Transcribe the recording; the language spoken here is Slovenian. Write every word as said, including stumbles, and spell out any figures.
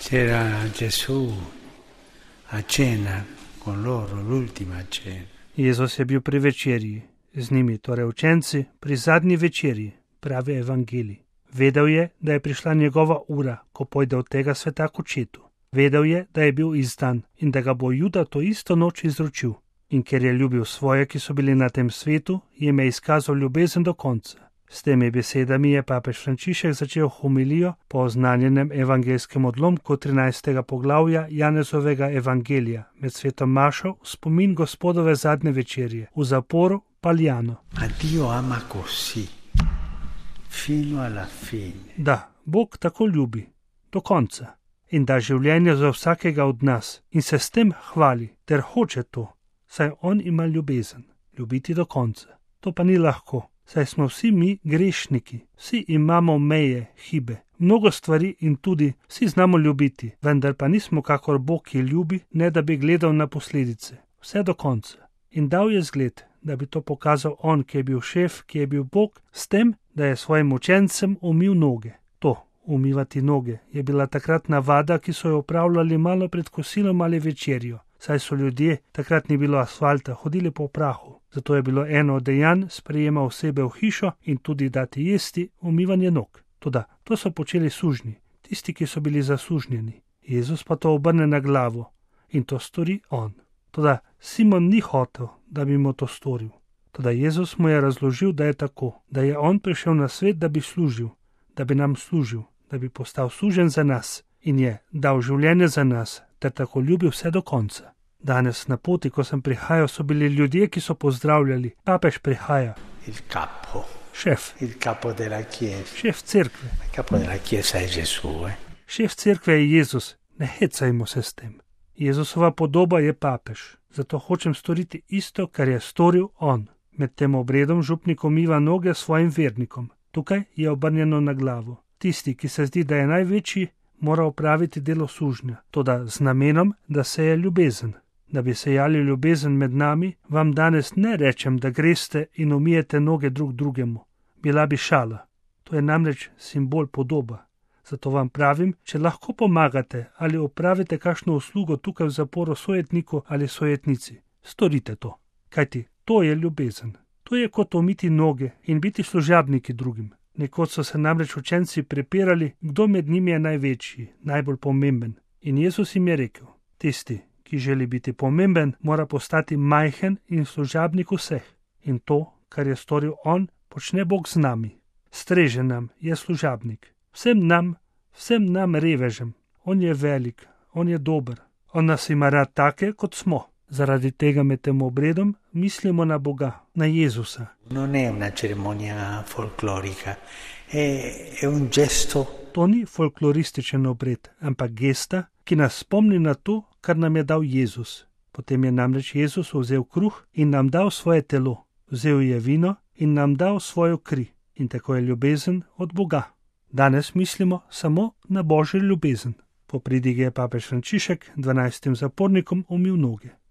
C'era Gesù a cena con loro, l'ultima cena. Jezus je bil pri večerji, z njimi, torej učenci, pri zadnji večerji, pravi evangelij. Vedel je, da je prišla njegova ura, ko pojde od tega sveta k očetu. Vedel je, da je bil izdan in da ga bo Juda to isto noč izročil. In ker je ljubil svoje, ki so bili na tem svetu, jim je izkazal ljubezen do konca. S temi besedami je papež Frančišek začel homilijo po oznanjenem evangelskem odlomku trinajstega poglavja Janezovega evangelija med svetom mašo v spomin Gospodove zadnje večerje v zaporu Paljano. Ma Dio ama così, fino alla fine. Da, Bog tako ljubi, do konca, in da življenje za vsakega od nas in se s tem hvali, ter hoče to, saj on ima ljubezen, ljubiti do konca. To pa ni lahko. Saj smo vsi mi grešniki, vsi imamo meje, hibe, mnogo stvari in tudi vsi znamo ljubiti, vendar pa nismo kakor Bog, ki ljubi, ne da bi gledal na posledice, vse do konca. In dal je zgled, da bi to pokazal on, ki je bil šef, ki je bil Bog, s tem, da je svojim učencem umil noge. To, umivati noge, je bila takrat navada, ki so jo opravljali malo pred kosilom ali večerjo. Saj so ljudje, takrat ni bilo asfalta, hodili po prahu. Zato je bilo eno od dejanj sprejema osebe v hišo in tudi dati jesti umivanje nog. Toda to so počeli sužnji, tisti, ki so bili zasužnjeni. Jezus pa to obrne na glavo in to stori on. Toda Simon ni hotel, da bi mu to storil. Toda Jezus mu je razložil, da je tako, da je on prišel na svet, da bi služil, da bi nam služil, da bi postal sužen za nas in je dal življenje za nas, ter tako ljubil vse do konca. Danes na poti, ko sem prihajal, so bili ljudje, ki so pozdravljali. Papež prihaja. Il capo. Šef. Il capo della chiesa. Šef cerkve. Il capo della chiesa è Gesù, eh. Šef cerkve je Jezus. Ne hecajmo se s tem. Jezusova podoba je papež. Zato hočem storiti isto, kar je storil on. Med tem obredom župnik umiva noge svojim vernikom. Tukaj je obrnjeno na glavo. Tisti, ki se zdi, da je največji, mora opraviti delo sužnja, toda z namenom, da seje ljubezen. Da bi sejali ljubezen med nami, vam danes ne rečem, da greste in umijete noge drug drugemu. Bila bi šala. To je namreč simbol podoba. Zato vam pravim, če lahko pomagate ali opravite kakšno uslugo tukaj v zaporu sojetniku ali sojetnici, storite to. Kajti to je ljubezen. To je kot umiti noge in biti služabniki drugim. Nekoč so se namreč učenci prepirali, kdo med njimi je največji, najbolj pomemben. In Jezus jim je rekel, tisti, ki želi biti pomemben, mora postati majhen in služabnik vseh. In to, kar je storil on, počne Bog z nami. Streže nam, je služabnik. Vsem nam, vsem nam revežem. On je velik, on je dober. On nas ima rad take, kot smo. Zaradi tega med tem obredom mislimo na Boga, na Jezusa. Non è una cerimonia folklorica, è, è un gesto. To ni folklorističen obred, ampak gesta, ki nas spomni na to, kar nam je dal Jezus. Potem je namreč Jezus vzel kruh in nam dal svoje telo. Vzel je vino in nam dal svojo kri. In tako je ljubezen od Boga. Danes mislimo samo na Božjo ljubezen. Po pridigi je papež Frančišek dvanajstim zapornikom umil noge.